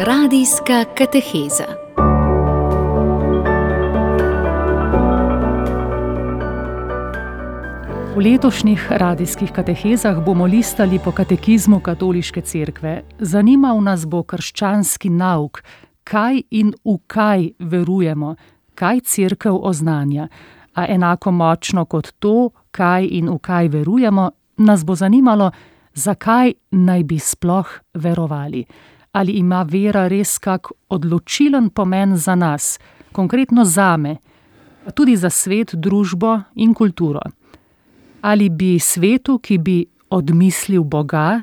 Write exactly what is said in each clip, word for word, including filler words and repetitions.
Radijska kateheza. V letošnjih radijskih katehezah bomo listali po katekizmu Katoliške cerkve. Zanimal nas bo krščanski nauk, kaj in v kaj verujemo, kaj cerkev oznanja. A enako močno kot to, kaj in v kaj verujemo, nas bo zanimalo, zakaj naj bi sploh verovali. Ali ima vera res kak odločilen pomen za nas, konkretno zame, tudi za svet, družbo in kulturo. Ali bi svetu, ki bi odmislil Boga,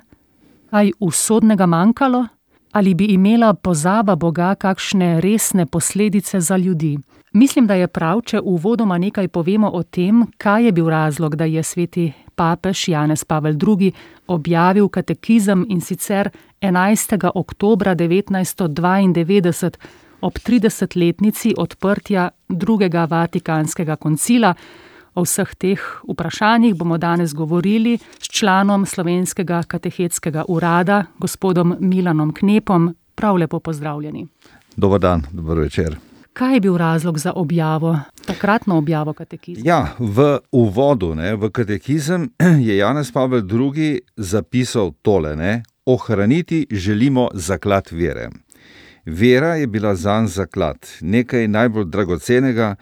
kaj usodnega manjkalo? Ali bi imela pozaba Boga kakšne resne posledice za ljudi? Mislim, da je prav, če uvodoma nekaj povemo o tem, kaj je bil razlog, da je sveti papež Janez Pavel drugi objavil katekizem, in sicer enajstega oktobra devetnajststo dvaindevetdeset ob tridesetletnici odprtja drugega Vatikanskega koncila. O vseh teh vprašanjih bomo danes govorili s članom Slovenskega katehetskega urada, gospodom Milanom Knepom. Prav lepo pozdravljeni. Dober dan, dober večer. Kaj je bil razlog za objavo, takratno objavo katekizma? Ja, v uvodu, ne, v katekizem je Janez Pavel drugi zapisal tole, ne, ohraniti želimo zaklad vere. Vera je bila zanj zaklad, nekaj najbolj dragocenega,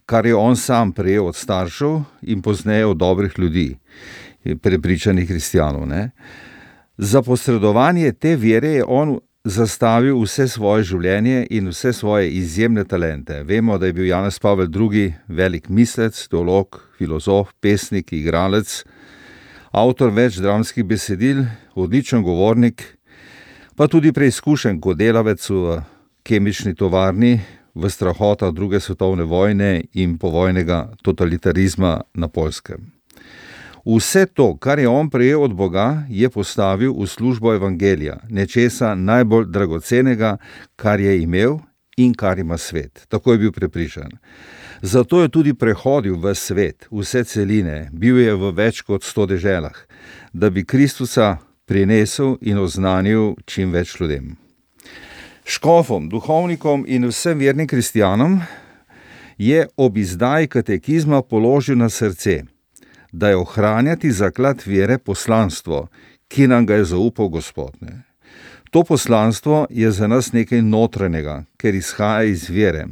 kar je on sam prejel od staršev in pozneje od dobrih ljudi, prepričanih kristjanov. Ne. Za posredovanje te vere je on zastavil vse svoje življenje in vse svoje izjemne talente. Vemo, da je bil Janez Pavel drugi velik mislec, teolog, filozof, pesnik, igralec, avtor več dramskih besedil, odličen govornik, pa tudi preizkušen kot delavec v kemični tovarni v strahotah druge svetovne vojne in povojnega totalitarizma na Poljskem. Vse to, kar je on prejel od Boga, je postavil v službo evangelija, nečesa najbolj dragocenega, kar je imel in kar ima svet. Tako je bil prepričan. Zato je tudi prehodil v svet, vse celine, bil je v več kot sto deželah, da bi Kristusa prinesel in oznanil čim več ljudem. Škofom, duhovnikom in vsem vernim kristjanom je ob izdaji katekizma položil na srce, da je ohranjati zaklad vere poslanstvo, ki nam ga je zaupal Gospod. To poslanstvo je za nas nekaj notranjega, ker izhaja iz vere.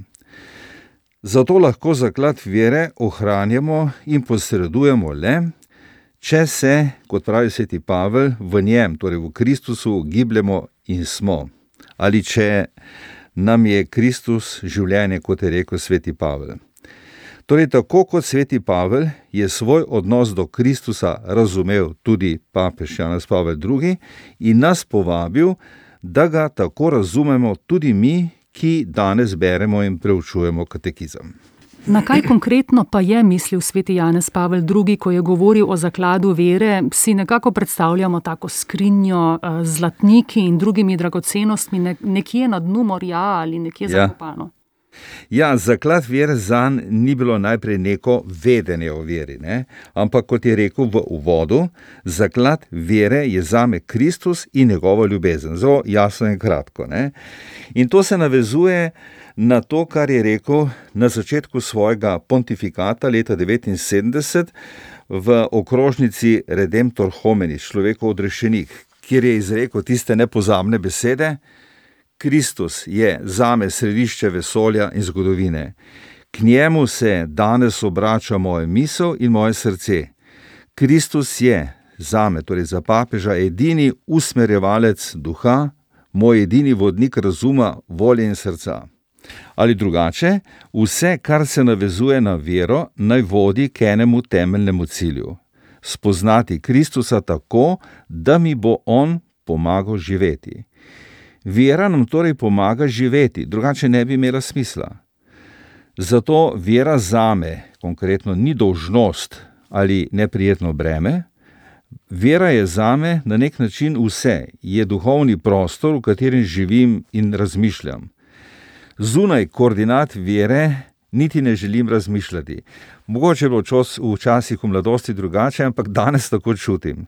Zato lahko zaklad vere ohranjamo in posredujemo le, če se, kot pravi sveti Pavel, v njem, torej v Kristusu, gibljemo in smo. Ali če nam je Kristus življenje, kot je rekel sveti Pavel. Torej, tako kot sveti Pavel je svoj odnos do Kristusa razumel tudi papež Janez Pavel drugi in nas povabil, da ga tako razumemo tudi mi, ki danes beremo in preučujemo katekizem. Na kaj konkretno pa je mislil sveti Janez Pavel drugi, ko je govoril o zakladu vere? Si nekako predstavljamo tako skrinjo z zlatniki in drugimi dragocenostmi nekje na dnu morja ali nekje ja. zakopano? Ja, zaklad vere zanj ni bilo najprej neko vedenje o veri, ne? Ampak kot je rekel v uvodu, zaklad vere je zame Kristus in njegova ljubezen. Zelo jasno in kratko. Ne? In to se navezuje na to, kar je rekel na začetku svojega pontifikata leta devetinsedemdeset v okrožnici Redemptor Hominis, človekov odrešenik, kjer je izrekel tiste nepozabne besede: Kristus je zame središče vesolja in zgodovine. K njemu se danes obrača moja misel in moje srce. Kristus je zame, torej za papeža, edini usmerjevalec duha, moj edini vodnik razuma, volje in srca. Ali drugače, vse, kar se navezuje na vero, naj vodi k enemu temeljnemu cilju. Spoznati Kristusa tako, da mi bo on pomagal živeti. Vera nam torej pomaga živeti, drugače ne bi imela smisla. Zato vera zame konkretno ni dolžnost ali neprijetno breme. Vera je zame na nek način vse, je duhovni prostor, v katerem živim in razmišljam. Zunaj koordinat vere niti ne želim razmišljati. Mogoče je bilo včasih v mladosti drugače, ampak danes tako čutim.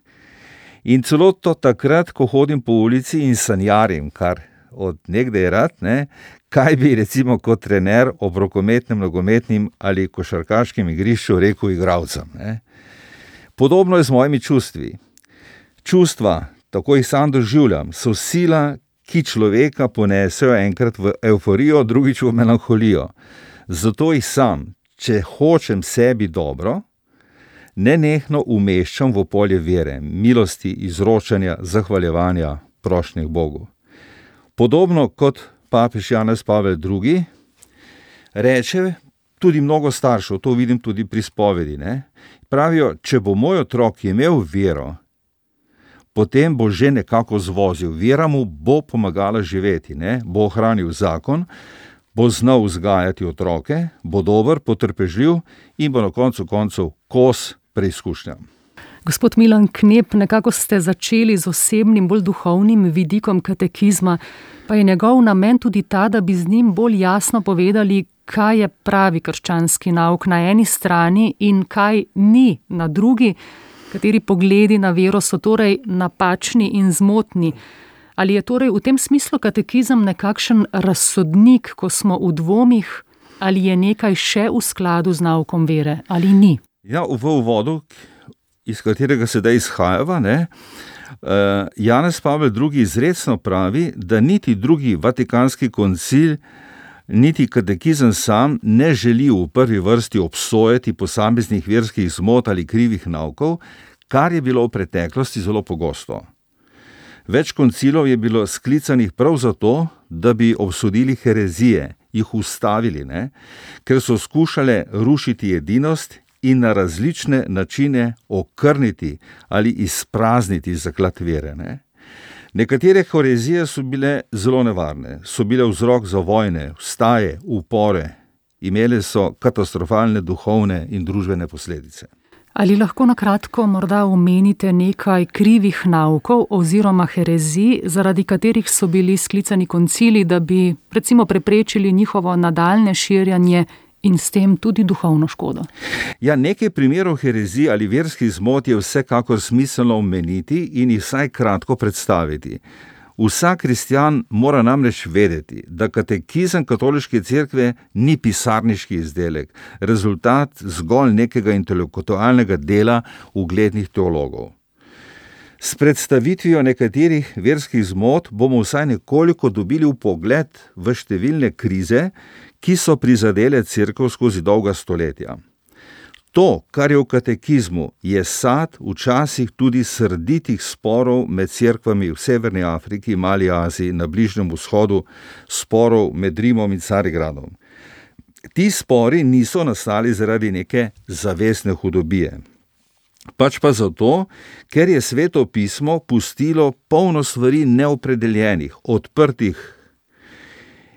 In celo to takrat, ko hodim po ulici in sanjarim, kar od nekdaj rad, ne, kaj bi recimo kot trener ob rokometnem, nogometnim ali košarkaškem igrišču rekel igralcem. Ne. Podobno je z mojimi čustvi. Čustva, tako jih sam doživljam, so sila, ki človeka ponesejo enkrat v evforijo, drugič v melanholijo. Zato jih sam, če hočem sebi dobro, nenehno umeščam v polje vere, milosti, izročanja, zahvaljevanja, prošnje k Bogu. Podobno kot papež Janez Pavel drugi. reče tudi mnogo staršev, to vidim tudi pri spovedi, ne? Pravijo, če bo moj otrok imel vero, potem bo že nekako zvozil. Vera mu bo pomagala živeti, ne? Bo ohranil zakon, bo znal vzgajati otroke, bo dober, potrpežljiv in bo na koncu koncev kos preizkušnjam. Gospod Milan Knep, nekako ste začeli z osebnim, bolj duhovnim vidikom katekizma, pa je njegov namen tudi ta, da bi z njim bolj jasno povedali, kaj je pravi krščanski nauk na eni strani in kaj ni na drugi, kateri pogledi na vero so torej napačni in zmotni. Ali je torej v tem smislu katekizem nekakšen razsodnik, ko smo v dvomih, ali je nekaj še v skladu z naukom vere, ali ni? Ja, v uvodu, iz katerega sedaj izhajava, ne, Janez Pavel drugi izrecno pravi, da niti drugi vatikanski koncil, niti katekizem sam ne želi v prvi vrsti obsojati posameznih verskih zmot ali krivih naukov, kar je bilo v preteklosti zelo pogosto. Več koncilov je bilo sklicanih prav zato, da bi obsodili herezije, jih ustavili, ne, ker so skušale rušiti edinost in na različne načine okrniti ali izprazniti zaklad vere. Ne. Nekatere herezije so bile zelo nevarne, so bile vzrok za vojne, vstaje, upore, imele so katastrofalne duhovne in družbene posledice. Ali lahko na kratko morda omenite nekaj krivih naukov oziroma herezij, zaradi katerih so bili sklicani koncili, da bi recimo preprečili njihovo nadaljne širjanje in s tem tudi duhovno škodo? Ja, nekaj primerov herezij ali verskih zmot je vsekakor smiselno omeniti in jih vsaj kratko predstaviti. Vsak kristjan mora namreč vedeti, da katekizem katoliške cerkve ni pisarniški izdelek, rezultat zgolj nekega intelektualnega dela uglednih teologov. S predstavitvijo nekaterih verskih zmot bomo vsaj nekoliko dobili vpogled v številne krize, ki so prizadele cerkev skozi dolga stoletja. To, kar je v katekizmu, je sad včasih tudi srditih sporov med cerkvami v Severni Afriki, Mali Aziji, na Bližnjem vzhodu, sporov med Rimom in Carigradom. Ti spori niso nastali zaradi neke zavestne hudobije, pač pa zato, ker je Sveto pismo pustilo polno stvari neopredeljenih, odprtih.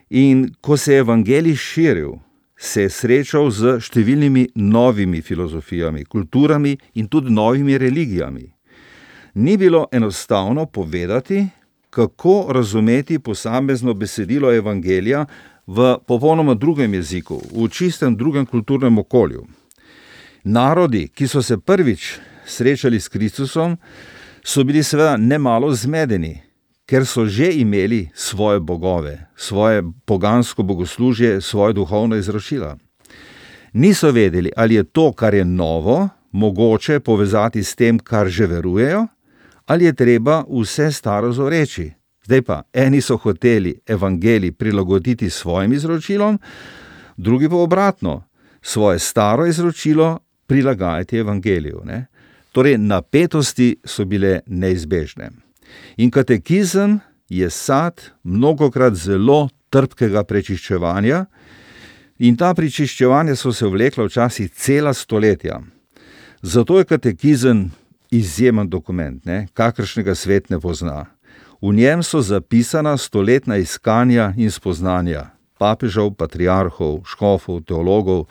In ko se je evangelij širil, se je srečal z številnimi novimi filozofijami, kulturami in tudi novimi religijami. Ni bilo enostavno povedati, kako razumeti posamezno besedilo evangelija v popolnoma drugem jeziku, v čistem drugem kulturnem okolju. Narodi, ki so se prvič srečali s Kristusom, so bili seveda nemalo zmedeni, ker so že imeli svoje bogove, svoje pogansko bogoslužje, svoje duhovno izročila. Niso vedeli, ali je to, kar je novo, mogoče povezati s tem, kar že verujejo, ali je treba vse staro zavreči. Zdaj pa, eni so hoteli evangelij prilagoditi svojim izročilom, drugi pa obratno, svoje staro izročilo prilagajati evangeliju. Ne? Torej, napetosti so bile neizbežne. In katekizem je sad mnogokrat zelo trpkega prečiščevanja in ta prečiščevanja so se vlekla včasih cela stoletja. Zato je katekizem izjemen dokument, ne, kakršnega svet ne pozna. V njem so zapisana stoletna iskanja in spoznanja papežev, patriarhov, škofov, teologov,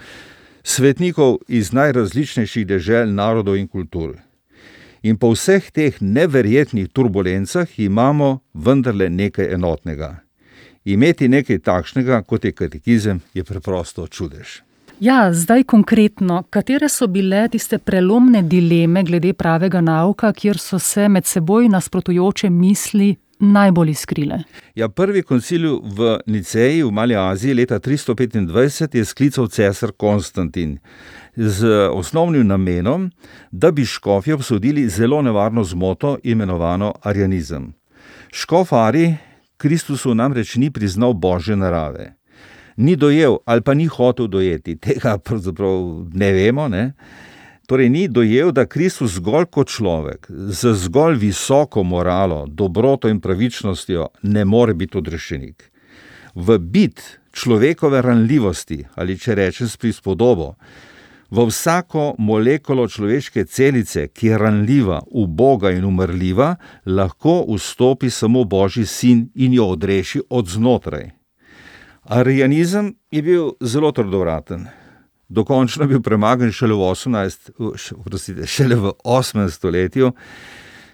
svetnikov iz najrazličnejših dežel, narodov in kultur. In po vseh teh neverjetnih turbulencah imamo vendarle nekaj enotnega. Imeti nekaj takšnega, kot je katekizem, je preprosto čudež. Ja, zdaj konkretno, katere so bile tiste prelomne dileme glede pravega nauka, kjer so se med seboj nasprotujoče misli najbolj iskrile? Ja, prvi koncil v Niceji v Mali Aziji leta tristo petindvajset je sklical cesar Konstantin z osnovnim namenom, da bi škofje obsodili zelo nevarno zmoto imenovano arianizem. Škof Arij Kristusu namreč ni priznal božje narave. Ni dojel ali pa ni hotel dojeti, tega pravzaprav ne vemo, ne? Torej ni dojel, da Kristus zgolj kot človek, z zgolj visoko moralo, dobroto in pravičnostjo ne more biti odrešenik. V bit človekove ranljivosti, ali če rečem s prispodobo, v vsako molekulo človeške celice, ki je ranljiva, uboga in umrljiva, lahko vstopi samo Božji sin in jo odreši od znotraj. Arianizem je bil zelo trdovraten. Dokončno je bil premagan šele v osemnajstem, oprostite, šele v osmem stoletju,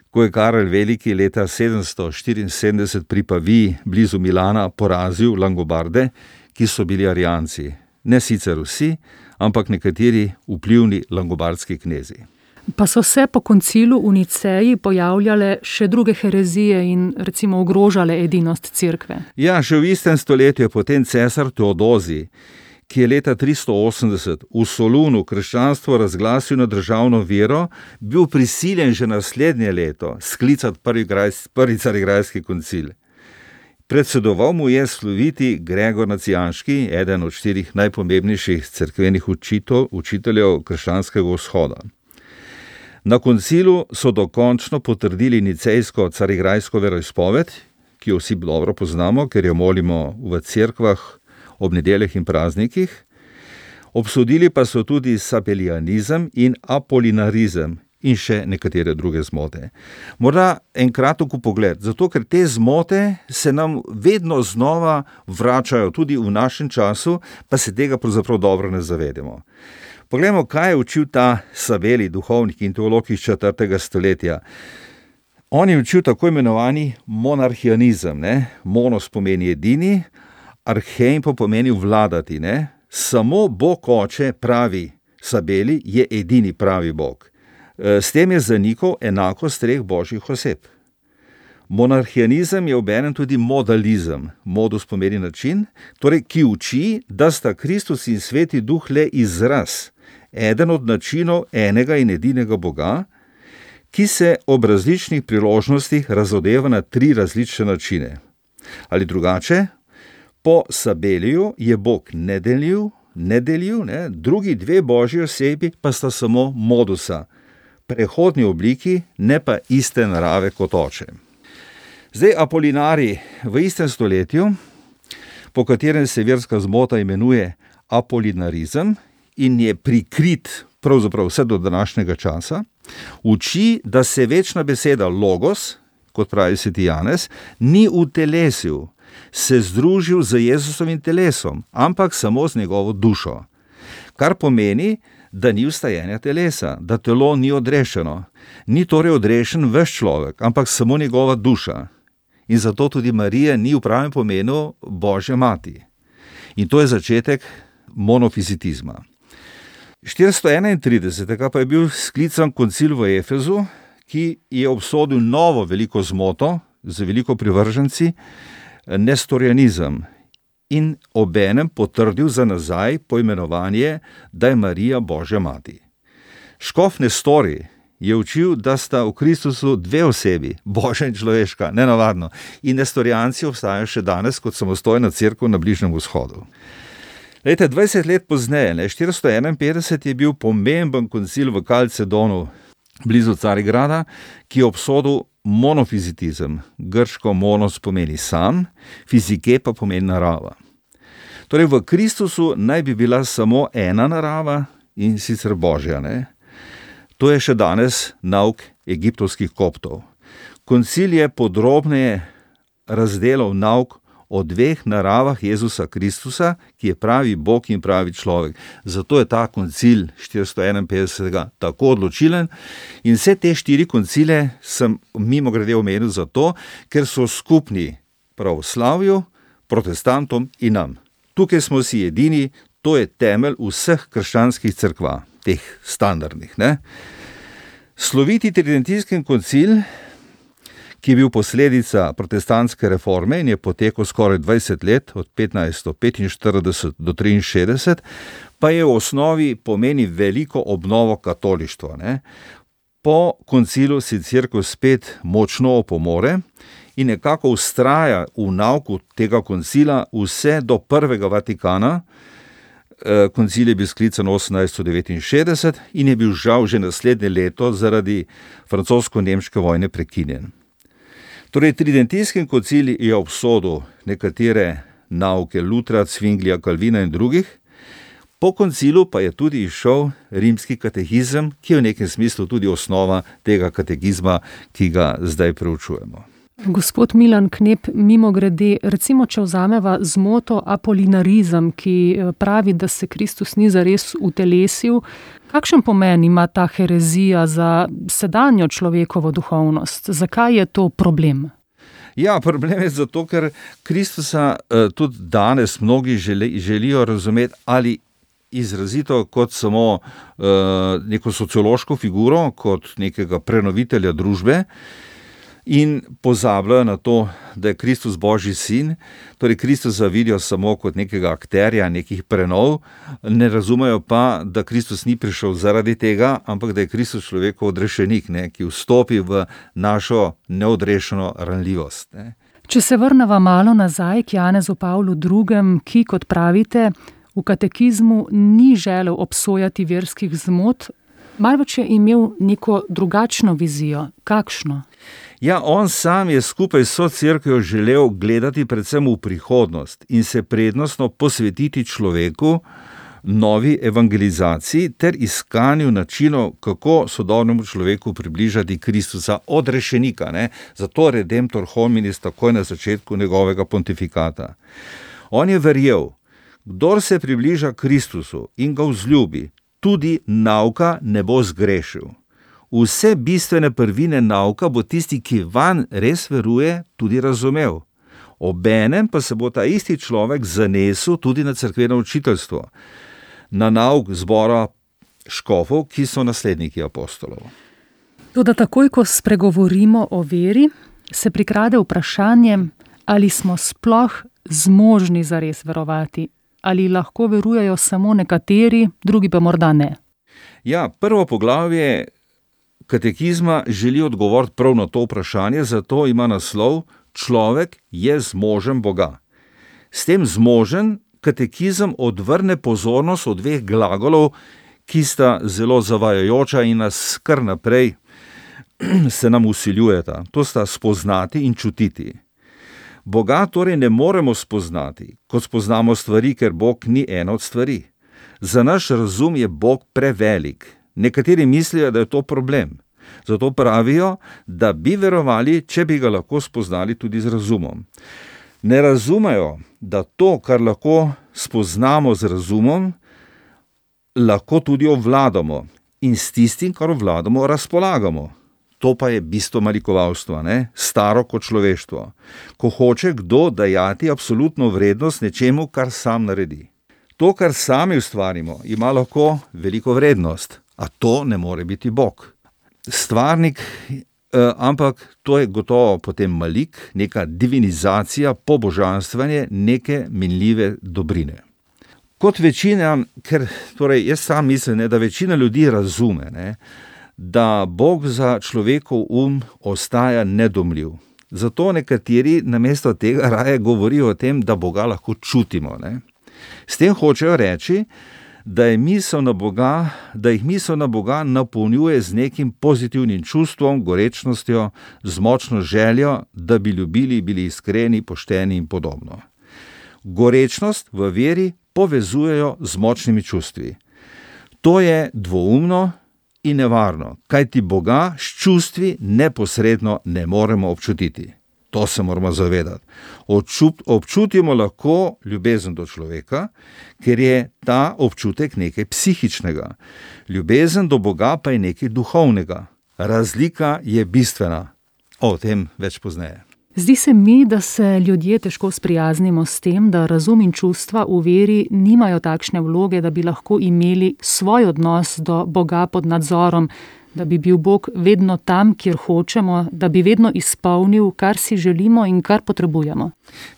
ko je Karel Veliki leta sedemsto štiriinsedemdeset pri Paviji blizu Milana porazil Langobarde, ki so bili arijanci. Ne sicer vsi, ampak nekateri vplivni langobardski knezi. Pa so se po koncilu v Niceji pojavljale še druge herezije in recimo ogrožale edinost cerkve? Ja, še v istem stoletju je potem cesar Teodozij, ki je leta tristo osemdeset v Solunu krščanstvo razglasil na državno vero, bil prisiljen že naslednje leto sklicati prvi, prvi carigrajski koncil. Predsedoval mu je sloviti Gregor Nacijanški, eden od štirih najpomembnejših cerkvenih učitelj, učiteljev krščanskega vzhoda. Na koncilu so dokončno potrdili nicejsko carigrajsko veroizpoved, ki jo vsi dobro poznamo, ker jo molimo v cerkvah ob nedeljah in praznikih. Obsodili pa so tudi sabelianizem in apolinarizem in še nekatere druge zmote. Morda en kratek pogled, zato ker te zmote se nam vedno znova vračajo tudi v našem času, pa se tega pravzaprav dobro ne zavedamo. Poglejmo, kaj je učil ta Sabelij, duhovnik in teolog iz četrtega stoletja. On je učil tako imenovani monarhianizem, ne? Monos pomeni edini, arhein pa pomeni vladati, ne? Samo Bog Oče, pravi Sabelij, je edini pravi Bog. S tem je zanikal enakost treh božjih oseb. Monarhianizem je obenem tudi modalizem, modus pomeni način, torej ki uči, da sta Kristus in Sveti Duh le izraz, eden od načinov enega in edinega Boga, ki se ob različnih priložnostih razodeva na tri različne načine. Ali drugače, po Sabeliju je Bog nedeljiv, nedeljiv, ne? Drugi dve božji osebi pa sta samo modusa, prehodni obliki, ne pa iste narave kot Oče. Zdaj Apolinarij v istem stoletju, po katerem se verska zmota imenuje apolinarizem in je prikrit pravzaprav vse do današnjega časa, uči, da se večna beseda logos, kot pravi sveti Janez, ni utelesil, se združil z Jezusovim telesom, ampak samo z njegovo dušo. Kar pomeni, da ni vstajenja telesa, da telo ni odrešeno. Ni torej odrešen ves človek, ampak samo njegova duša. In zato tudi Marija ni v pravem pomenu Božja mati. In to je začetek monofizitizma. štiristo enaintridesetega pa je bil sklican koncil v Efezu, ki je obsodil novo veliko zmoto z veliko privrženci, nestorianizem, in obenem potrdil za nazaj poimenovanje, da je Marija Božja mati. Škof Nestorij je učil, da sta v Kristusu dve osebi, Božja in človeška, nenavadno, in nestorijanci obstajajo še danes kot samostojna cerkev na Bližnjem vzhodu. Leta dvajset let pozneje, ne, štiristo enainpetdeset, je bil pomemben koncil v Kalcedonu, blizu Carigrada, ki je obsodil monofizitizem. Grško monos pomeni sam, fizike pa pomeni narava. Torej v Kristusu naj bi bila samo ena narava in sicer Božja, ne? To je še danes nauk egiptovskih koptov. Koncil je podrobneje razdelal nauk o dveh naravah Jezusa Kristusa, ki je pravi Bog in pravi človek. Zato je ta koncil štiristo enainpetdesetega tako odločilen in vse te štiri koncile sem mimogrede omenil zato, ker so skupni pravoslavju, protestantom in nam. Tukaj smo si edini, to je temelj vseh krščanskih cerkva, teh standardnih, ne? Sloviti tridentijski koncil, ki je bil posledica protestantske reforme in je potekal skoraj dvajset let, od petnajststo petinštirideset do triinšestdeset, pa je v osnovi pomeni veliko obnovo katolištva. Ne. Po koncilu si cerkev spet močno opomore in nekako vztraja v nauku tega koncila vse do prvega Vatikana. Koncil je bil sklican osemnajststo devetinšestdeset in je bil žal že naslednje leto zaradi francosko-nemške vojne prekinjen. Torej, tridentijski koncil je obsodil nekatere nauke Lutra, Zwinglija, Calvina in drugih. Po koncilu pa je tudi izšel rimski katehizem, ki je v nekem smislu tudi osnova tega katehizma, ki ga zdaj preučujemo. Gospod Milan Knep, mimogrede, recimo, če vzameva zmoto apolinarizem, ki pravi, da se Kristus ni zares utelesil, kakšen pomen ima ta herezija za sedanjo človekovo duhovnost? Zakaj je to problem? Ja, problem je zato, ker Kristusa tudi danes mnogi želi, želijo razumeti ali izrazito kot samo uh, neko sociološko figuro, kot nekega prenovitelja družbe, in pozabljajo na to, da je Kristus Božji sin, torej Kristusa vidijo samo kot nekega akterja, nekih prenov, ne razumejo pa, da Kristus ni prišel zaradi tega, ampak da je Kristus človekov odrešenik, ne, ki vstopi v našo neodrešeno ranljivost. Ne. Če se vrneva malo nazaj k Janezu Pavlu drugemu., ki, kot pravite, v katekizmu ni želel obsojati verskih zmot, marveč je imel neko drugačno vizijo. Kakšno? Ja, on sam je skupaj s cerkvijo želel gledati predvsem v prihodnost in se prednostno posvetiti človeku, novi evangelizaciji ter iskanju načinov, kako sodobnemu človeku približati Kristusa od rešenika. Ne? Zato Redemptor hominis takoj na začetku njegovega pontifikata. On je verjel, kdor se približa Kristusu in ga vzljubi, tudi nauka ne bo zgrešil. Vse bistvene prvine nauka bo tisti, ki vanj res veruje, tudi razumel. Obenem pa se bo ta isti človek zanesel tudi na cerkveno učiteljstvo, na nauk zbora škofov, ki so nasledniki apostolov. Toda takoj, ko spregovorimo o veri, se prikrade vprašanje, ali smo sploh zmožni zares verovati, ali lahko verujejo samo nekateri, drugi pa morda ne. Ja, prvo poglavje katekizma želi odgovoriti prav na to vprašanje, zato ima naslov Človek je zmožen Boga. S tem zmožen katekizem odvrne pozornost od dveh glagolov, ki sta zelo zavajajoča in nas kar naprej se nam vsiljujeta. To sta spoznati in čutiti. Boga torej ne moremo spoznati, kot spoznamo stvari, ker Bog ni ena od stvari. Za naš razum je Bog prevelik. Nekateri mislijo, da je to problem. Zato pravijo, da bi verovali, če bi ga lahko spoznali tudi z razumom. Ne razumejo, da to, kar lahko spoznamo z razumom, lahko tudi obvladamo in s tistim, kar obvladamo, razpolagamo. To pa je bistvo malikovalstva, ne? Staro kot človeštvo. Ko hoče kdo dajati absolutno vrednost nečemu, kar sam naredi. To, kar sami ustvarimo, ima lahko veliko vrednost, a to ne more biti Bog. Stvarnik, eh, ampak to je gotovo potem malik, neka divinizacija, pobožanstvanje neke minljive dobrine. Kot večina, ker torej jaz sam mislim, ne, da večina ljudi razume, ne, da Bog za človekov um ostaja nedomljiv. Zato nekateri namesto tega raje govorijo o tem, da Boga lahko čutimo. Ne. S tem hočejo reči, da je misel na Boga, da jih misel na Boga napolnjuje z nekim pozitivnim čustvom, gorečnostjo, z močno željo, da bi ljubili, bili iskreni, pošteni in podobno. Gorečnost v veri povezujejo z močnimi čustvi. To je dvoumno in nevarno, kajti Boga s čustvi neposredno ne moremo občutiti. To se moramo zavedati. Občut, občutimo lahko ljubezen do človeka, ker je ta občutek nekaj psihičnega. Ljubezen do Boga pa je nekaj duhovnega. Razlika je bistvena. O tem več pozneje. Zdi se mi, da se ljudje težko sprijaznimo s tem, da razum in čustva v veri nimajo takšne vloge, da bi lahko imeli svoj odnos do Boga pod nadzorom, da bi bil Bog vedno tam, kjer hočemo, da bi vedno izpolnil, kar si želimo in kar potrebujemo.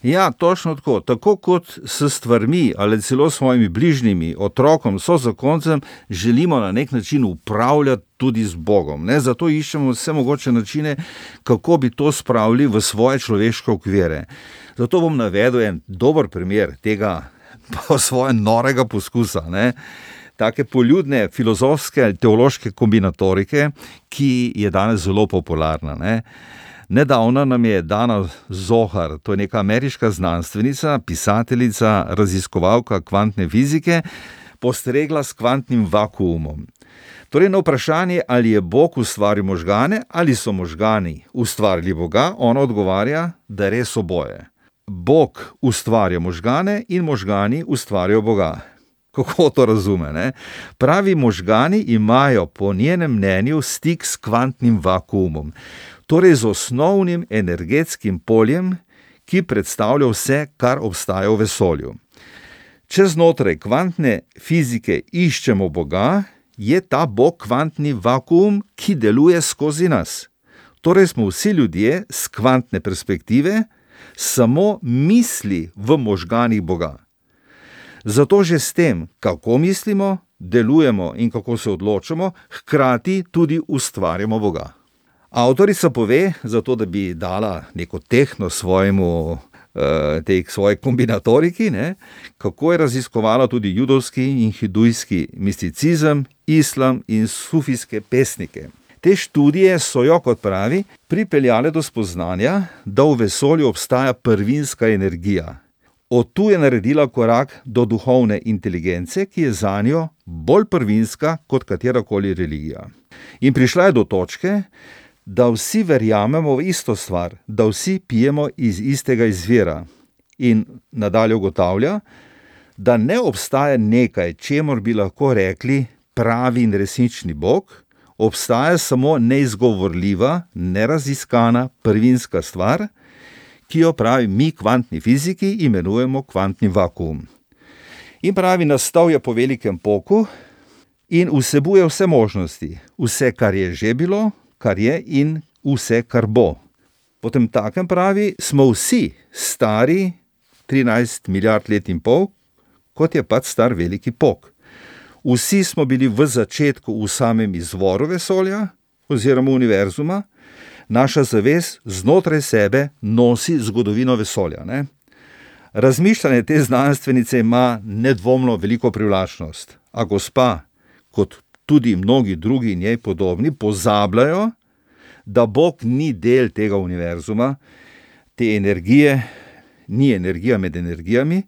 Ja, točno tako. Tako kot s stvarmi ali celo svojimi bližnjimi, otrokom, sozakoncem, želimo na nek način upravljati tudi z Bogom. Ne? Zato iščemo vse mogoče načine, kako bi to spravili v svoje človeške okvire. Zato bom navedel en dober primer tega po svoje norega poskusa, ne? Take poljudne filozofske ali teološke kombinatorike, ki je danes zelo popularna. Ne? Nedavno nam je Dana Zohar, to je neka ameriška znanstvenica, pisateljica, raziskovalka kvantne fizike, postregla s kvantnim vakuumom. Torej na vprašanje, ali je Bog ustvaril možgane ali so možgani ustvarili Boga, ona odgovarja, da res oboje. Bog ustvarja možgane in možgani ustvarjajo Boga. Kako to razume? Ne? Pravi, možgani imajo po njenem mnenju stik s kvantnim vakuumom, torej z osnovnim energetskim poljem, ki predstavlja vse, kar obstaja v vesolju. Če znotraj kvantne fizike iščemo Boga, je ta Bog kvantni vakuum, ki deluje skozi nas. Torej smo vsi ljudje z kvantne perspektive samo misli v možganih Boga. Zato že s tem, kako mislimo, delujemo in kako se odločamo, hkrati tudi ustvarjamo Boga. Avtorica pove, zato da bi dala neko tehno svojemu, tej svoji kombinatoriki, ne, kako je raziskovala tudi judovski in hindujski misticizem, islam in sufijske pesnike. Te študije so jo, kot pravi, pripeljale do spoznanja, da v vesolju obstaja prvinska energija. Od tu je naredila korak do duhovne inteligence, ki je zanjo bolj prvinska kot katerakoli religija. In prišla je do točke, da vsi verjamemo v isto stvar, da vsi pijemo iz istega izvira. In nadalje ugotavlja, da ne obstaja nekaj, čemur bi lahko rekli pravi in resnični Bog, obstaja samo neizgovorljiva, neraziskana prvinska stvar, ki jo pravi mi kvantni fiziki imenujemo kvantni vakuum. In pravi, nastal je po velikem poku in vsebuje vse možnosti, vse, kar je že bilo, kar je in vse, kar bo. Potem takem pravi, smo vsi stari trinajst milijard let in pol, kot je pač star veliki pok. Vsi smo bili v začetku v samem izvoru vesolja oziroma univerzuma, naša zavest znotraj sebe nosi zgodovino vesolja. Ne? Razmišljanje te znanstvenice ima nedvomno veliko privlačnost, a gospa, kot tudi mnogi drugi njej podobni, pozabljajo, da Bog ni del tega univerzuma, te energije, ni energija med energijami,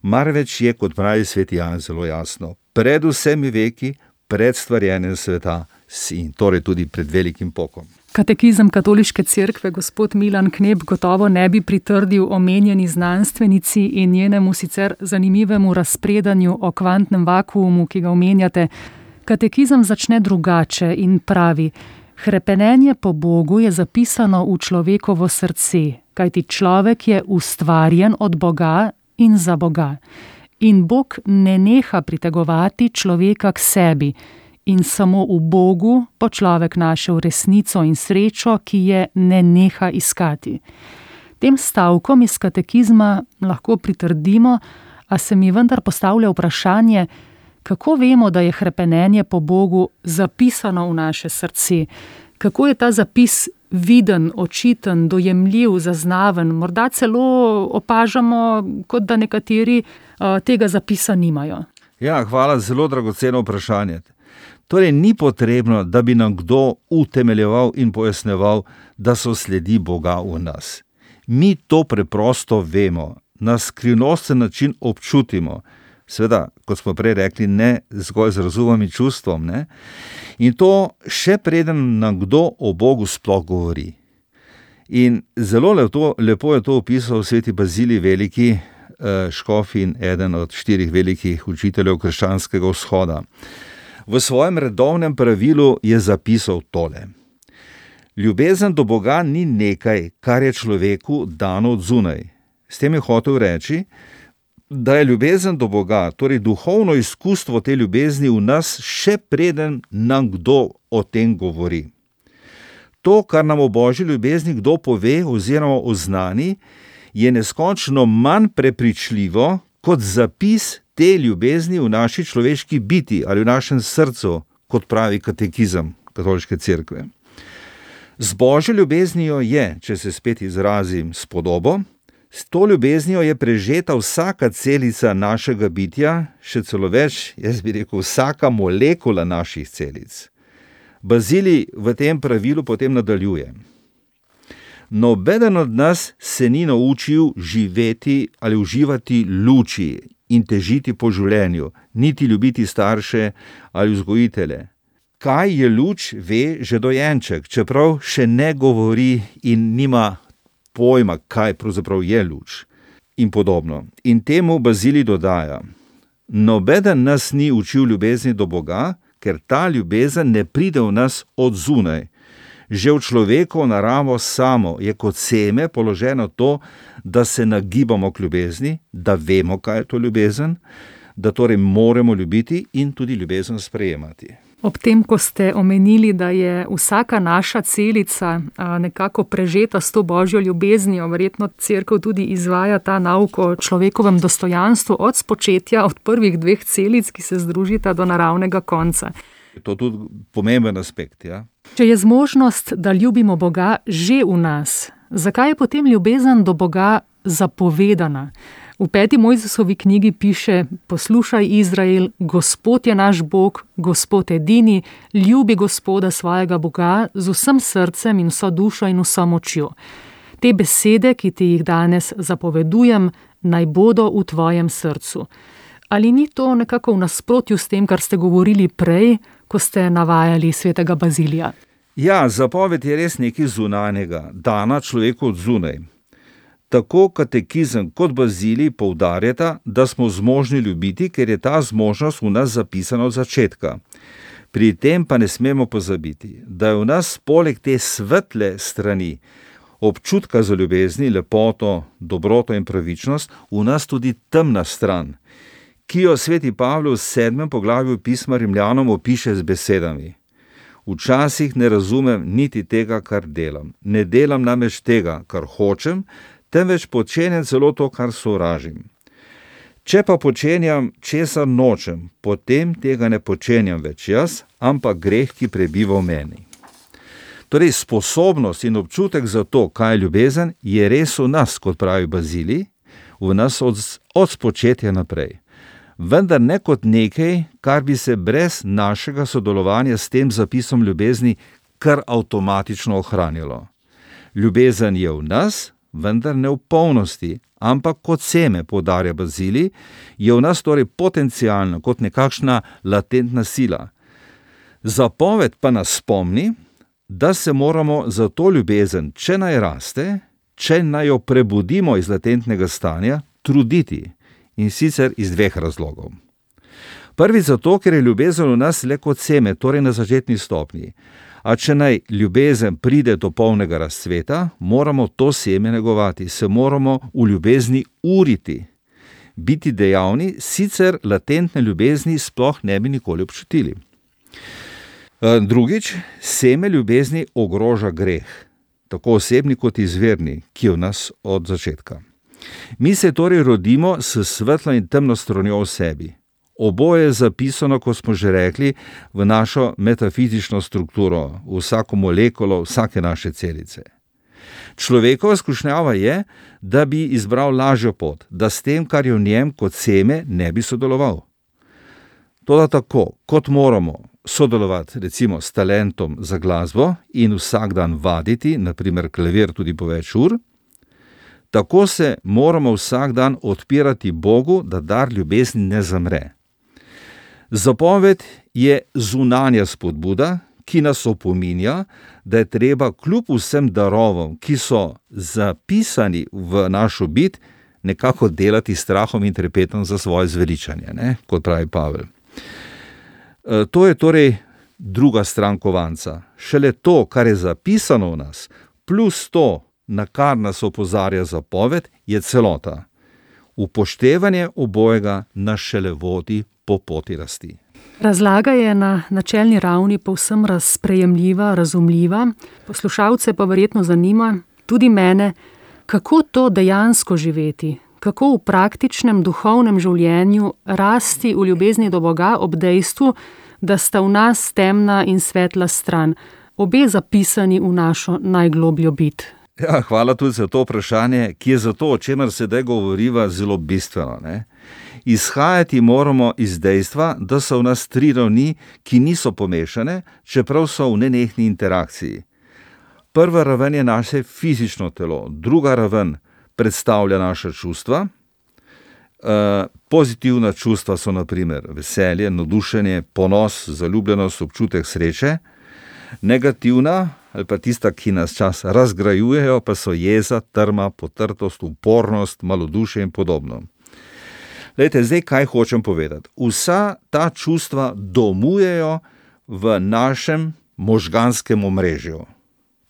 marveč je, kot pravi sveti Jan zelo jasno, pred vsemi veki, pred stvarjenjem sveta in torej tudi pred velikim pokom. Katekizem Katoliške cerkve gospod Milan Knep gotovo ne bi pritrdil omenjeni znanstvenici in njenemu sicer zanimivemu razpredanju o kvantnem vakuumu, ki ga omenjate. Katekizem začne drugače in pravi: hrepenenje po Bogu je zapisano v človekovo srce, kajti človek je ustvarjen od Boga in za Boga. In Bog ne neha pritegovati človeka k sebi, in samo v Bogu bo človek našel resnico in srečo, ki je ne neha iskati. Tem stavkom iz katekizma lahko pritrdimo, a se mi vendar postavlja vprašanje, kako vemo, da je hrepenenje po Bogu zapisano v naše srce? Kako je ta zapis viden, očiten, dojemljiv, zaznaven? Morda celo opažamo, kot da nekateri uh, tega zapisa nimajo. Ja, hvala, zelo dragoceno vprašanje. Torej, ni potrebno, da bi nam kdo utemeljeval in pojasneval, da so sledi Boga v nas. Mi to preprosto vemo, na skrivnosten način občutimo. Seveda, kot smo prej rekli, ne zgolj z razumom in čustvom, ne? In to še preden nam kdo o Bogu sploh govori. In zelo lepo, lepo je to opisal sveti Bazilij Veliki, škof in eden od štirih velikih učiteljev krščanskega vzhoda. V svojem redovnem pravilu je zapisal tole: ljubezen do Boga ni nekaj, kar je človeku dano od zunaj. S tem je hotel reči, da je ljubezen do Boga, torej duhovno izkustvo te ljubezni v nas, še preden nam kdo o tem govori. To, kar nam o božji ljubezni kdo pove oziroma oznani, je neskončno manj prepričljivo kot zapis te ljubezni v naši človeški biti ali v našem srcu, kot pravi katekizem katoliške cerkve. Z božjo ljubeznijo je, če se spet izrazim s podobo, s to ljubeznijo je prežeta vsaka celica našega bitja, še celo več, jaz bi rekel, vsaka molekula naših celic. Bazilij v tem pravilu potem nadaljuje. Nobeden od nas se ni naučil živeti ali uživati luči in težiti po življenju, niti ljubiti starše ali vzgojitelje. Kaj je luč, ve že dojenček, čeprav še ne govori in nima pojma, kaj pravzaprav je luč. In podobno. In temu Bazilij dodaja: nobeden nas ni učil ljubezni do Boga, ker ta ljubezen ne pride v nas od zunaj. Že v človekovo naravo samo je kot seme položeno to, da se nagibamo k ljubezni, da vemo, kaj je to ljubezen, da torej moramo ljubiti in tudi ljubezen sprejemati. Ob tem, ko ste omenili, da je vsaka naša celica nekako prežeta s to božjo ljubeznijo, verjetno cerkev tudi izvaja ta nauk o človekovem dostojanstvu od spočetja, od prvih dveh celic, ki se združita do naravnega konca. To je tudi pomemben aspekt, ja. Če je zmožnost, da ljubimo Boga že v nas, zakaj je potem ljubezen do Boga zapovedana? V peti Mojzesovi knjigi piše: poslušaj, Izrael, Gospod je naš Bog, Gospod edini, ljubi Gospoda svojega Boga z vsem srcem in vso dušo in vso močjo. Te besede, ki ti jih danes zapovedujem, naj bodo v tvojem srcu. Ali ni to nekako v nasprotju s tem, kar ste govorili prej, ko ste navajali svetega Bazilija? Ja, zapoved je res nekaj zunanjega, dana človeku od zunaj. Tako katekizem kot Bazilij poudarjata, da smo zmožni ljubiti, ker je ta zmožnost v nas zapisana od začetka. Pri tem pa ne smemo pozabiti, da je v nas poleg te svetle strani, občutka za ljubezni, lepoto, dobroto in pravičnost, v nas tudi temna stran, ki jo sveti Pavle v sedmem poglavju pisma Rimljanom opiše z besedami: včasih ne razumem niti tega, kar delam. Ne delam namreč tega, kar hočem, temveč počenjam celo to, kar sovražim. Če pa počenjam, česar nočem, potem tega ne počenjam več jaz, ampak greh, ki prebiva v meni. Torej, sposobnost in občutek za to, kaj je ljubezen, je res v nas, kot pravi Bazilij, v nas od, od spočetja naprej. Vendar ne kot nekaj, kar bi se brez našega sodelovanja s tem zapisom ljubezni kar avtomatično ohranilo. Ljubezen je v nas, vendar ne v polnosti, ampak kot seme, poudarja Bazilij, je v nas torej potencialno, kot nekakšna latentna sila. Zapoved pa nas spomni, da se moramo za to ljubezen, če naj raste, če naj jo prebudimo iz latentnega stanja, truditi. In sicer iz dveh razlogov. Prvi zato, ker je ljubezen v nas le kot seme, torej na začetni stopnji. A če naj ljubezen pride do polnega razcveta, moramo to seme negovati, se moramo v ljubezni uriti, biti dejavni, sicer latentne ljubezni sploh ne bi nikoli občutili. Drugič, seme ljubezni ogroža greh, tako osebni kot izvirni, ki je v nas od začetka. Mi se torej rodimo s svetlo in temno stranjo v sebi. Oboje je zapisano, kot smo že rekli, v našo metafizično strukturo, v vsako molekulo, vsake naše celice. Človekova skušnjava je, da bi izbral lažjo pot, da s tem, kar je v njem kot seme, ne bi sodeloval. Toda tako, kot moramo sodelovati recimo s talentom za glasbo in vsak dan vaditi, naprimer klavir tudi po več ur, tako se moramo vsak dan odpirati Bogu, da dar ljubezni ne zamre. Zapoved je zunanja spodbuda, ki nas opominja, da je treba kljub vsem darovom, ki so zapisani v našo bit, nekako delati s strahom in trepetom za svoje zveličanje, ne? Kot pravi Pavel. E, to je torej druga stran kovanca. Šele to, kar je zapisano v nas, plus to, na kar nas opozarja zapoved, je celota. Upoštevanje obojega nas šele vodi po poti rasti. Razlaga je na načelni ravni povsem razsprejemljiva, razumljiva, poslušalce pa verjetno zanima, tudi mene, kako to dejansko živeti, kako v praktičnem duhovnem življenju rasti v ljubezni do Boga ob dejstvu, da sta v nas temna in svetla stran, obe zapisani v našo najglobljo bit. Ja, hvala tudi za to vprašanje, ki je za to, o čemer sedaj govoriva, zelo bistveno. Ne? Izhajati moramo iz dejstva, da so v nas tri ravni, ki niso pomešane, čeprav so v nenehni interakciji. Prva raven je naše fizično telo, druga raven predstavlja naša čustva. E, pozitivna čustva so na primer veselje, navdušenje, ponos, zaljubljenost, občutek sreče. Negativna ali pa tista, ki nas čas razgrajujejo, pa so jeza, trma, potrtost, upornost, malodušje in podobno. Glejte, zdaj kaj hočem povedati. Vsa ta čustva domujejo v našem možganskem omrežju.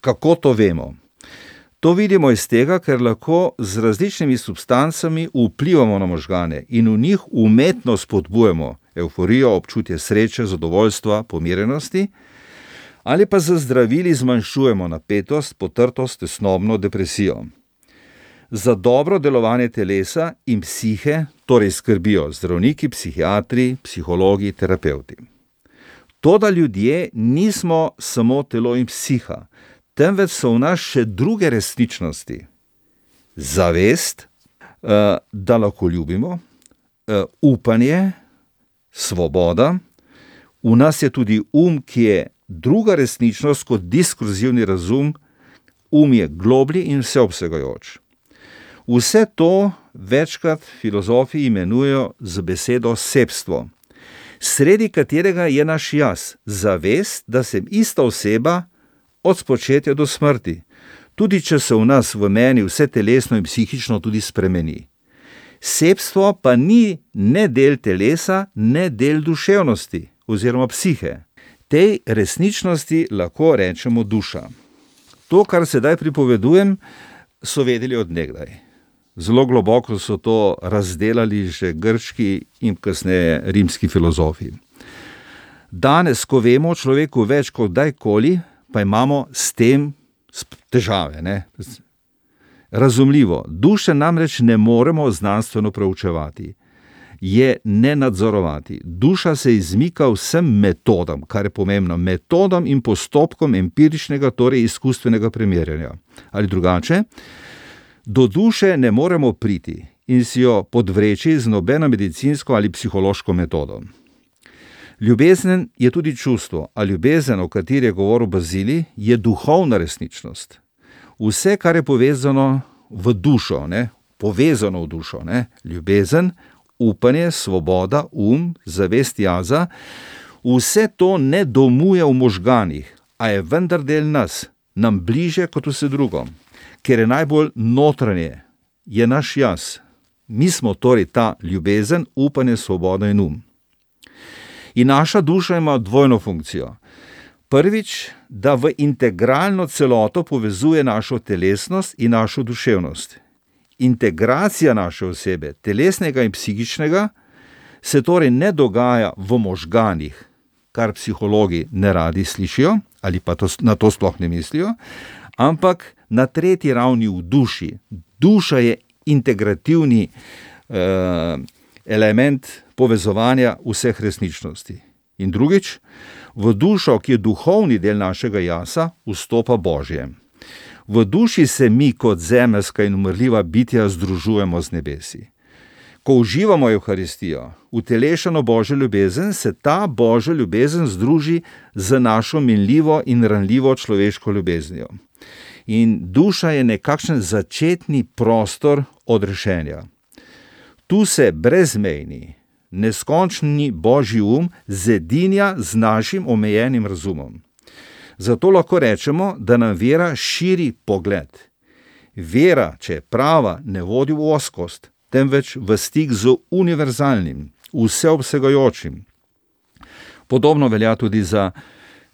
Kako to vemo? To vidimo iz tega, ker lahko z različnimi substancami vplivamo na možgane in v njih umetno spodbujamo evforijo, občutje sreče, zadovoljstva, pomirjenosti, ali pa z zdravili zmanjšujemo napetost, potrtost, tesnobno, depresijo. Za dobro delovanje telesa in psihe torej skrbijo zdravniki, psihiatri, psihologi, terapevti. Toda ljudje nismo samo telo in psiha, temveč so v nas še druge resničnosti. Zavest, da lahko ljubimo, upanje, svoboda. V nas je tudi um, ki je druga resničnost kot diskurzivni razum. Um je globlji in vseobsegajoč. Vse to večkrat filozofi imenujejo z besedo sebstvo, sredi katerega je naš jaz, zavest, da sem ista oseba od spočetja do smrti, tudi če se v nas, v meni, vse telesno in psihično tudi spremeni. Sebstvo pa ni ne del telesa, ne del duševnosti oziroma psihe. Tej resničnosti lahko rečemo duša. To, kar sedaj pripovedujem, so vedeli od nekdaj. Zelo globoko so to razdelali že grški in kasneje rimski filozofi. Danes, ko vemo o človeku več kot kdajkoli, pa imamo s tem težave. Ne? Razumljivo, duše namreč ne moremo znanstveno preučevati, je ne nadzorovati. Duša se izmika vsem metodam, kar je pomembno, metodam in postopkom empiričnega, torej izkustvenega primerjanja. Ali drugače, do duše ne moremo priti in si jo podvreči z nobeno medicinsko ali psihološko metodo. Ljubezen je tudi čustvo, a ljubezen, o kateri je govoril Bazilij, je duhovna resničnost. Vse, kar je povezano v dušo, ne? povezano v dušo, ne? ljubezen, upanje, svoboda, um, zavest jaza, vse to ne domuje v možganih, a je vendar del nas, nam bliže kot vse drugo, ker je najbolj notranje, je naš jaz. Mi smo torej ta ljubezen, upanje, svoboda in um. In naša duša ima dvojno funkcijo. Prvič, da v integralno celoto povezuje našo telesnost in našo duševnost. Integracija naše osebe, telesnega in psihičnega, se torej ne dogaja v možganih, kar psihologi ne radi slišijo, ali pa to, na to sploh ne mislijo, ampak na tretji ravni v duši. Duša je integrativni eh, element povezovanja vseh resničnosti. In drugič, v dušo, ki je duhovni del našega jasa, vstopa Božje. V duši se mi kot zemeljska in umrljiva bitja združujemo z nebesi. Ko uživamo Evharistijo, utelešeno Božjo ljubezen, se ta Božja ljubezen združi z našo minljivo in ranljivo človeško ljubeznijo. In duša je nekakšen začetni prostor odrešenja. Tu se brezmejni, neskončni Božji um zedinja z našim omejenim razumom. Zato lahko rečemo, da nam vera širi pogled. Vera, če je prava, ne vodi v ozkost, temveč v stik z univerzalnim, vseobsegajočim. Podobno velja tudi za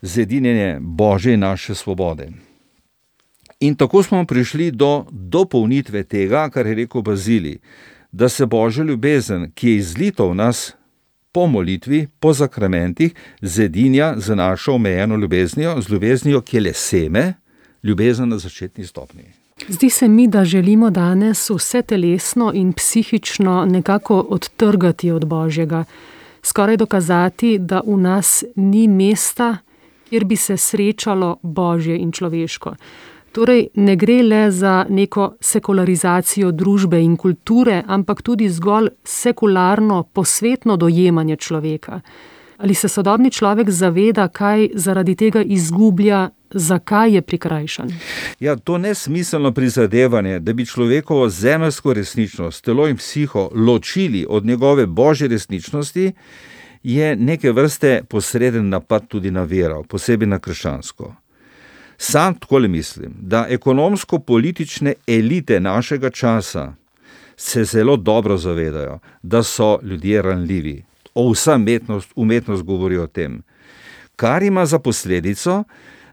zedinjenje Božje in naše svobode. In tako smo prišli do dopolnitve tega, kar je rekel Bazilij, da se Božja ljubezen, ki je izlita v nas po molitvi, po zakramentih, zedinja z našo omejeno ljubeznijo, z ljubeznijo, ki je le seme, ljubezen na začetni stopnji. Zdi se mi, da želimo danes vse telesno in psihično nekako odtrgati od Božjega. Skoraj dokazati, da v nas ni mesta, kjer bi se srečalo Božje in človeško. Torej, ne gre le za neko sekularizacijo družbe in kulture, ampak tudi zgolj sekularno, posvetno dojemanje človeka. Ali se sodobni človek zaveda, kaj zaradi tega izgublja, zakaj je prikrajšan? Ja, to nesmiselno prizadevanje, da bi človekovo zemeljsko resničnost, telo in psiho ločili od njegove božje resničnosti, je neke vrste posreden napad tudi na vero, posebej na krščansko. Sam takole mislim, da ekonomsko-politične elite našega časa se zelo dobro zavedajo, da so ljudje ranljivi. O vsa umetnost, umetnost govori o tem. Kar ima za posledico,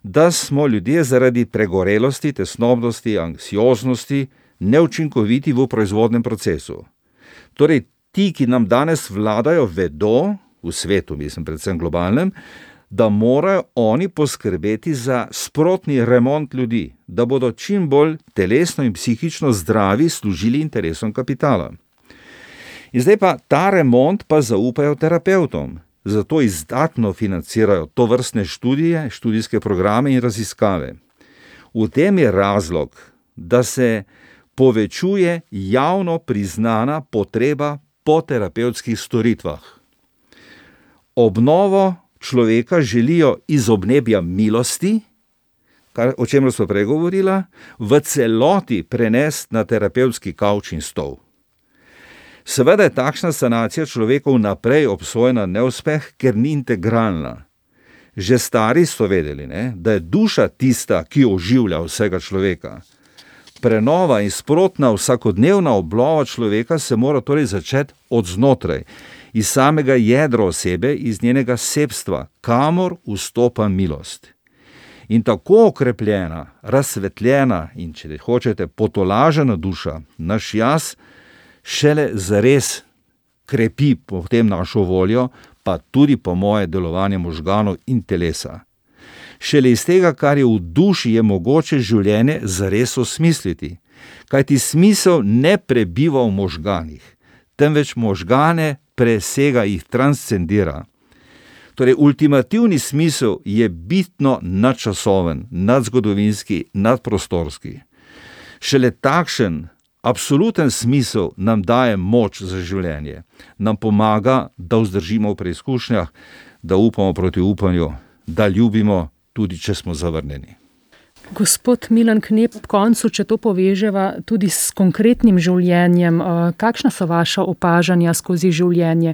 da smo ljudje zaradi pregorelosti, tesnobnosti, anksioznosti neučinkoviti v proizvodnem procesu. Torej, ti, ki nam danes vladajo, vedo, v svetu, mislim, predvsem globalnem, da morajo oni poskrbeti za sprotni remont ljudi, da bodo čim bolj telesno in psihično zdravi služili interesom kapitala. In zdaj pa ta remont pa zaupajo terapevtom, zato izdatno financirajo tovrstne študije, študijske programe in raziskave. V tem je razlog, da se povečuje javno priznana potreba po terapevtskih storitvah. Obnovo človeka želijo iz obnebja milosti, kar, o čemer smo prej govorila, v celoti prenesti na terapevtski kavč in stol. Seveda je takšna sanacija človekov naprej obsojena na neuspeh, ker ni integralna. Že stari so vedeli, ne, da je duša tista, ki oživlja vsega človeka. Prenova in sprotna vsakodnevna obnova človeka se mora torej začeti od znotraj, iz samega jedra osebe, iz njenega sebstva, kamor vstopa milost. In tako okrepljena, razsvetljena in, če hočete, potolažena duša, naš jaz, šele zares krepi potem našo voljo, pa tudi po moje delovanje možganov in telesa. Šele iz tega, kar je v duši, je mogoče življenje zares osmisliti, kajti smisel ne prebiva v možganih, temveč možgane presega, jih transcendira. Torej, ultimativni smisel je bitno nadčasoven, nadzgodovinski, nadprostorski. Šele takšen absoluten smisel nam daje moč za življenje, nam pomaga, da vzdržimo v preizkušnjah, da upamo proti upanju, da ljubimo, tudi če smo zavrnjeni. Gospod Milan Knep, ob koncu, če to poveževa tudi s konkretnim življenjem, kakšna so vaša opažanja skozi življenje?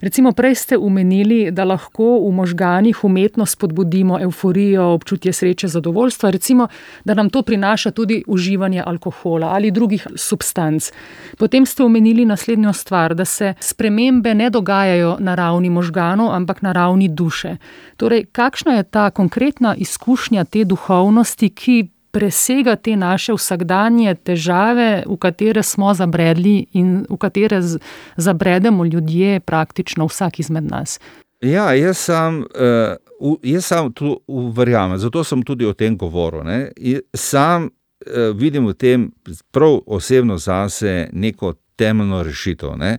Recimo, prej ste omenili, da lahko v možganih umetno spodbudimo evforijo, občutje sreče, zadovoljstva, recimo, da nam to prinaša tudi uživanje alkohola ali drugih substanc. Potem ste omenili naslednjo stvar, da se spremembe ne dogajajo na ravni možganov, ampak na ravni duše. Torej, kakšna je ta konkretna izkušnja te duhovnosti, ki presega te naše vsakdanje težave, v katere smo zabredli in v katere zabredemo ljudje praktično vsak izmed nas? Ja, jaz sam, uh, jaz sam tu verjamem, zato sem tudi o tem govoril. Ne? Sam uh, vidim v tem prav osebno zase neko temeljno rešitev. Ne?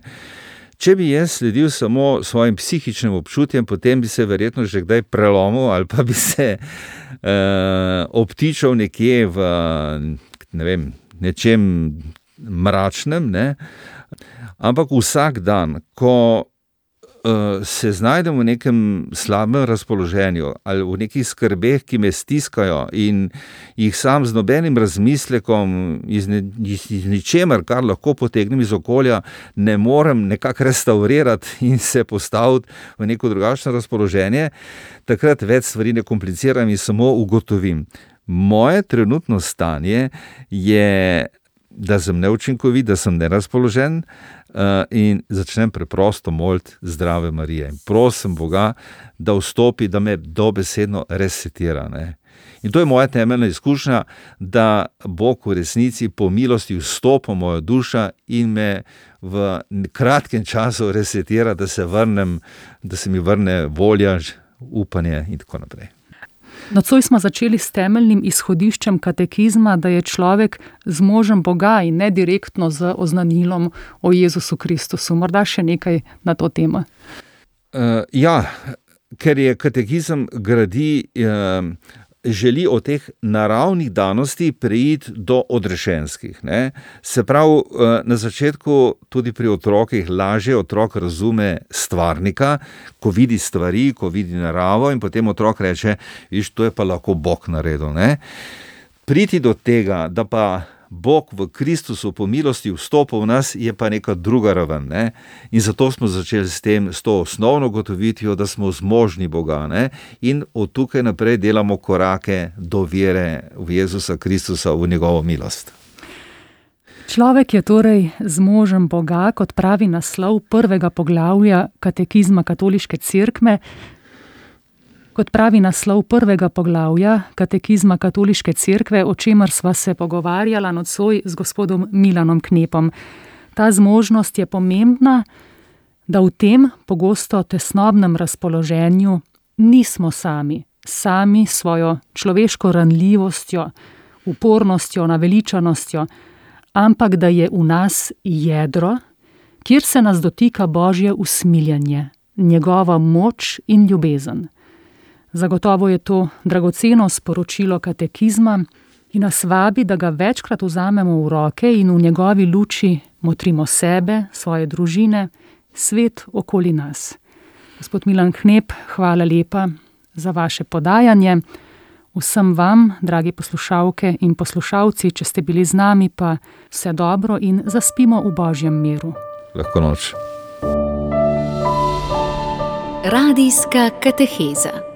Če bi jaz sledil samo svojim psihičnim občutjem, potem bi se verjetno že kdaj prelomil ali pa bi se uh, obtičal nekje v ne vem, nečem mračnem. Ne? Ampak vsak dan, ko uh, se znajdem v nekem slabem razpoloženju ali v nekih skrbeh, ki me stiskajo in jih sam z nobenim razmislekom, iz, ne, iz ničemer, kar lahko potegnem iz okolja, ne morem nekako restaurirati in se postaviti v neko drugačno razpoloženje, takrat več stvari ne kompliciram in samo ugotovim. Moje trenutno stanje je, da sem neučinkovit, da sem nerazpoložen uh, in začnem preprosto moliti Zdrave Marije. In prosim Boga, da vstopi, da me dobesedno resetira. Ne? In to je moja temeljna izkušnja, da Bog v resnici po milosti vstopa v mojo dušo in me v kratkem času resetira, da se vrnem, da se mi vrne volja, upanje in tako naprej. Nocoj smo začeli s temeljnim izhodiščem katekizma, da je človek zmožen Boga in ne direktno z oznanilom o Jezusu Kristusu. Morda še nekaj na to temo. Uh, ja, ker je katekizem gradi, uh, želi od teh naravnih danosti preiti do odrešenskih. Ne? Se pravi, na začetku tudi pri otrokih lažje otrok razume stvarnika, ko vidi stvari, ko vidi naravo in potem otrok reče, viš, to je pa lahko Bog naredil. Ne? Priti do tega, da pa Bog v Kristusu po milosti vstopa v nas, je pa neka druga raven. Ne? In zato smo začeli s tem, s to osnovno gotovitvijo, da smo zmožni Boga. Ne? In od tukaj naprej delamo korake do vere v Jezusa Kristusa, v njegovo milost. Človek je torej zmožen Boga, kot pravi naslov prvega poglavja katekizma Katoliške cerkve. Kot pravi naslov prvega poglavja katekizma Katoliške cerkve, o čemer sva se pogovarjala nocoj z gospodom Milanom Knepom. Ta zmožnost je pomembna, da v tem pogosto tesnobnem razpoloženju nismo sami, sami svojo človeško ranljivostjo, upornostjo, naveličanostjo, ampak da je v nas jedro, kjer se nas dotika Božje usmiljanje, njegova moč in ljubezen. Zagotovo je to dragoceno sporočilo katekizma in nas vabi, da ga večkrat vzamemo v roke in v njegovi luči motrimo sebe, svoje družine, svet okoli nas. Gospod Milan Knep, hvala lepa za vaše podajanje. Vsem vam, dragi poslušalke in poslušalci, če ste bili z nami, pa vse dobro in zaspimo v Božjem miru. Lahko noč. Radijska kateheza.